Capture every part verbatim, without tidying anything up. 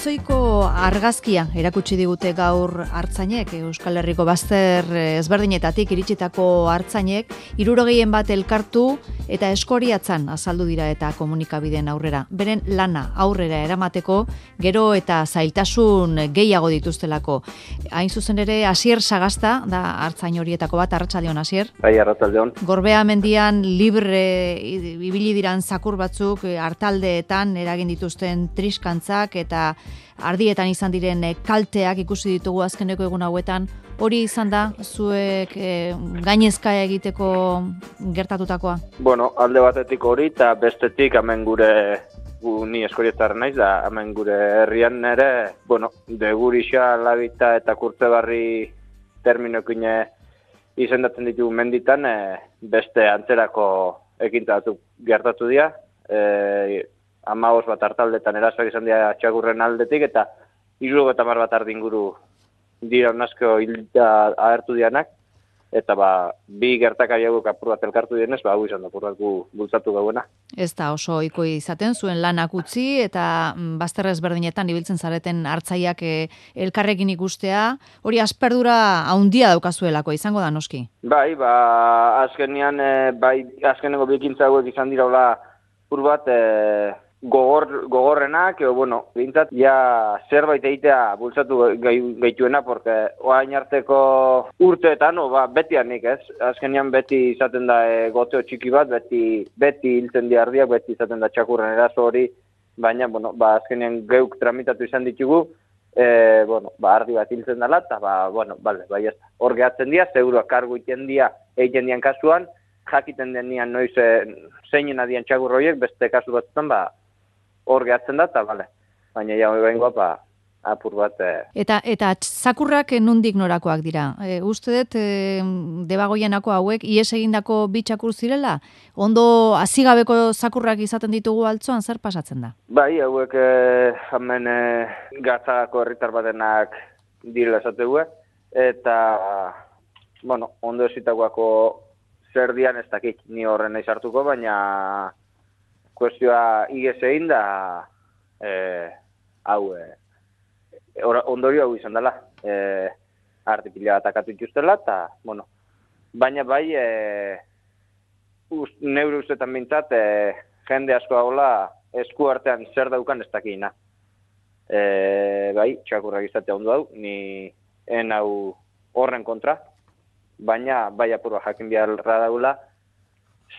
ezoiko argazkia erakutsi digute gaur artzainek, Euskal Herriko bazter ezberdinetatik iritsitako artzainek, hirurogehien bat elkartu eta eskoriatzan azaldu dira eta komunikabideen aurrera. Beren lana aurrera eramateko gero eta zailtasun gehiago dituztelako. Hain zuzen ere, Asier Sagasta da artzain horietako bat. Arratsaldeon, Asier. Bai, arratsaldeon. Gorbea mendian libre ibili diran zakur batzuk artaldeetan eragin dituzten triskantzak eta ardietan izan diren kalteak ikusi ditugu azkeneko egun hauetan. Hori izan da zuek e, gainezka egiteko gertatutakoa? Bueno, alde batetik hori eta bestetik hemen gure gu, ni eskorietarra naiz da hemen gure herrian ere, bueno, de Gurixa, Labita eta Kurtzebarri terminoekin izendatzen ditugu menditan e, beste antzerako ekintza batzuk gertatu dira. E, Hamabost bat artaldetan erasoak izan dira txakurren aldetik eta hirurogeita hamar bat ardi inguru dira unasko hilda agertu dianak, eta ba, bi gertakari hauek apur bat elkartu dienez, ba, hau izan da, apur bat gu bultzatu gauena. Ez da oso ohiko izaten, zuen lanak utzi, eta bazter ezberdinetan ibiltzen zareten hartzaiak e, elkarrekin ikustea, hori asperdura haundia daukazuelako, izango da noski? Bai, ba, azkenean, e, bai, azkeneko bikintza hauek izan dira hola, apur bat, e, Gogor, gogorrenak, edo, bueno, bintzat, ja zerbait egitea bultzatu gaituena, porque oain arteko urteetan, o, ba, beti anik, ez? Azkenean beti izaten da e, goteo txiki bat, beti beti hiltzen di ardiak, beti izaten da txakurren eraso hori, baina, bueno, ba, azkenean geuk tramitatu izan ditugu, e, bueno, ba, ardi bat hiltzen dela, eta, ba, bueno, bale, bai, ez. Hor gehatzen dira, seguro kargu iten dira, egiten dian kasuan, jakiten denian noiz e, zeinen adian txakur horiek, beste kasu batzutan, ba, hor gehatzen da, eta bale. Baina ja hori behingoa, ba, apur bat... E... Eta, eta zakurrak nondik norakoak dira? E, uste dut, e, debagoienako hauek, ies egindako bi txakur zirela? Ondo hazigabeko zakurrak izaten ditugu altzoan, zer pasatzen da? Bai, hauek e, hemen e, Gatzagako herritar batenak direla esategue, eta, bueno, ondo esitakoako zer dian ez dakit, ni horren nahi sartuko, baina... Kuestioa igez egin da, e, hau, e, ondorio hau izan dela, e, artipila bat akatu ituztela, eta, bueno, baina bai, e, ust, neure ustetan bintzat, e, jende asko haula esku artean zer daukan ez dakina. E, bai, txakurrak izatea ondo hau, ni en hau horren kontra, baina bai apurua jakin biharra daula,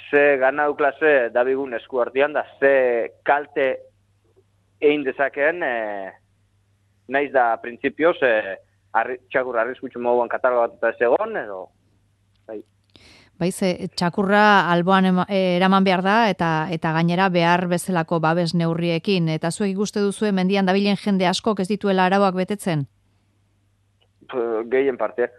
ze ganau klase dabigun esku artean da, ze kalte egin dezakeen, e, naiz da printzipioz, e, arri, txakurra arriskutsu moduan kataloga bat eta ez egon, edo... Bai, bai ze, txakurra alboan ema, e, eraman behar da, eta eta gainera behar bezalako babes neurriekin, eta zuek ikuste duzue mendian dabilen jende askok ez dituela arauak betetzen? Gehien parte.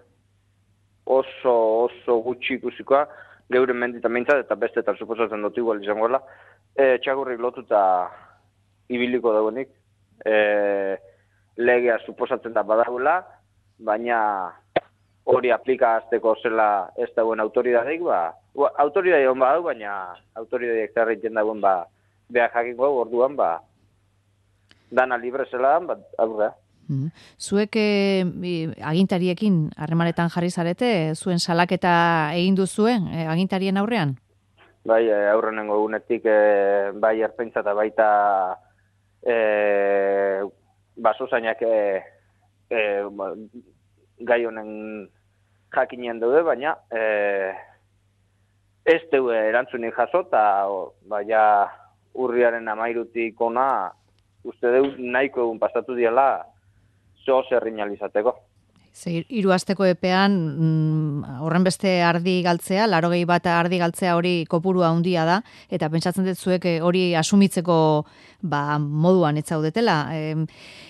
Oso, oso gutxi ikusikoa, geure menditan mintzat, eta bestetan suposatzen dut igual izangoela, e, txakurrik lotuta ibiliko dagoenik, e, legea suposatzen da badagoela, baina hori aplikazteko zela ez dagoen autoridadeik, ba, autoridade hon badau, baina autoridadeik zerreiten dagoen, ba, behar jakingo orduan, ba, dana libre zela, ba, aurra. Mm. Zuek e, agintariekin harremanetan jarri zarete, zuen salaketa egin duzuen e, agintarien aurrean? Bai, aurrenengo egunetik e, bai ertzaintza eta baita e, basozainak e, e, gai honen jakinien daude, baina e, ez dugu erantzunik jaso, eta baina urriaren amairutik ona uste dugu nahiko egun pasatu diala zo zerrinal izateko. Hiru asteko epean mm, horren beste ardi galtzea, laurogei bat ardi galtzea hori kopurua handia da, eta pentsatzen dut zuek hori asumitzeko ba, moduan ez zaudetela. E,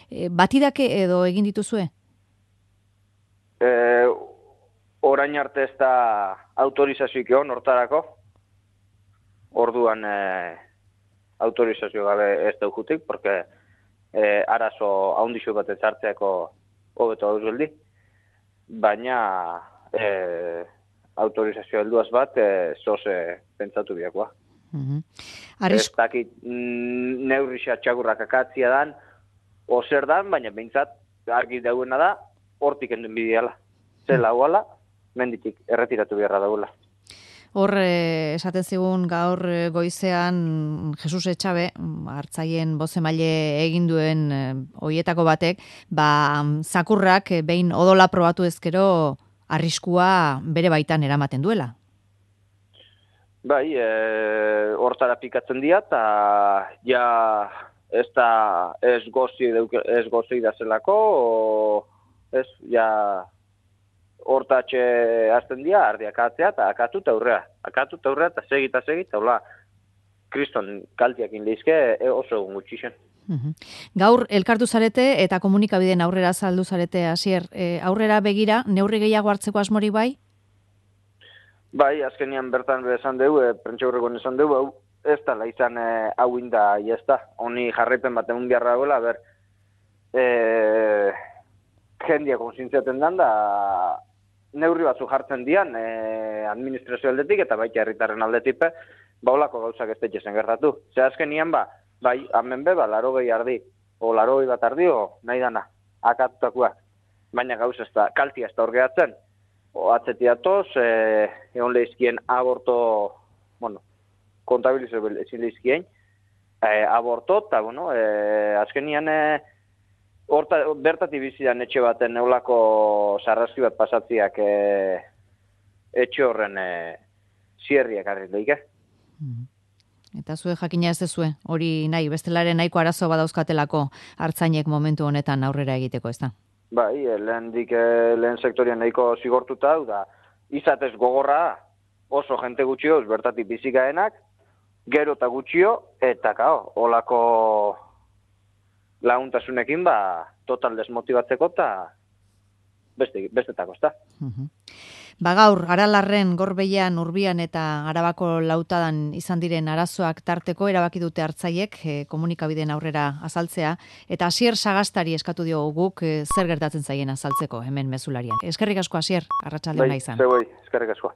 e, batidake edo egin dituzue? E, orain arte ez da autorizazioik egon hortarako. Orduan e, autorizazio gabe ez daukutik, porque E, arazo haundixo bat ezartzeako hobeto hau zueldi, baina e, autorizazio helduaz bat e, zoze pentsatu biakoa. Mm-hmm. Arris... Ez dakit neurrixia txagurrak akatzia dan, ozer dan, baina behintzat argi dauena da, hortik enduen bideala. Zela huala, menditik erretiratu beharra daula. Hor, eh, esaten zigun gaur eh, goizean Jesus Etxabe, hartzaien bozemaile egin duen eh, hoietako batek, ba, zakurrak eh, behin odola probatu ezkero arriskua bere baitan eramaten duela. Bai, e, hortara pikatzen dira, eta ja ez da ez gozi, ez gozi da zelako, o, ez, ja... hortatxe azten dira, ardiak atzea, eta akatu eta aurrea. Akatu eta aurrea, eta segi eta segi, eta hola, kriston kaltiak inleizke oso egun gutxixen. Gaur, elkartu zarete eta komunikabideen aurrera saldu zarete, Asier, e, aurrera begira, neurri gehiago hartzeko asmori bai? Bai, azkenian bertan esan dugu, e, prentxaurrekoan esan dugu, hau, ez da, izan e, hau inda, ez da, honi jarraipen bat egun biharra gola, ber, e, jendia konzintziaten dan da, neurri batzu jartzen dian eh, administrazio aldetik eta baita herritarren aldetik baulako gauzak ez daitezen gertatu. Ze azkenian ba, bai, hemen be, ba, larogei ardi, o larogei bat ardi, o nahi dana, akatutakoak. Baina gauz ez da, kaltia ez da horgeatzen, o atzetiatoz, eh, egon lehizkien aborto, bueno, kontabilizo ezin lehizkien, eh, aborto, eta, bueno, eh, azkenian, eh, Horta, bertatik bizidan etxe baten neulako sarraski bat pasatziak e, etxe horren e, zierriak arrit daike. Eta zue jakina ez dezue, hori nahi, bestelaren nahiko arazo badauzkatelako hartzainek momentu honetan aurrera egiteko, ez da? Bai, lehen dik, lehen sektorian nahiko zigortuta, da, izatez gogorra oso jente gutxioz bertatik bizikaenak, gero eta gutxio, eta kao, olako... laguntasunekin, ba, total desmotibatzeko eta beste, bestetako, ez da. Ba gaur, Aralarren, Gorbeian, Urbian eta Arabako Lautadan izan diren arazoak tarteko erabaki dute hartzaiek e, komunikabideen aurrera azaltzea, eta Asier Sagastari eskatu diogu guk e, zer gertatzen zaien azaltzeko hemen mezularian. Eskerrik asko, Asier, arratsalde ona izan. Bai, zeu, eskerrik asko.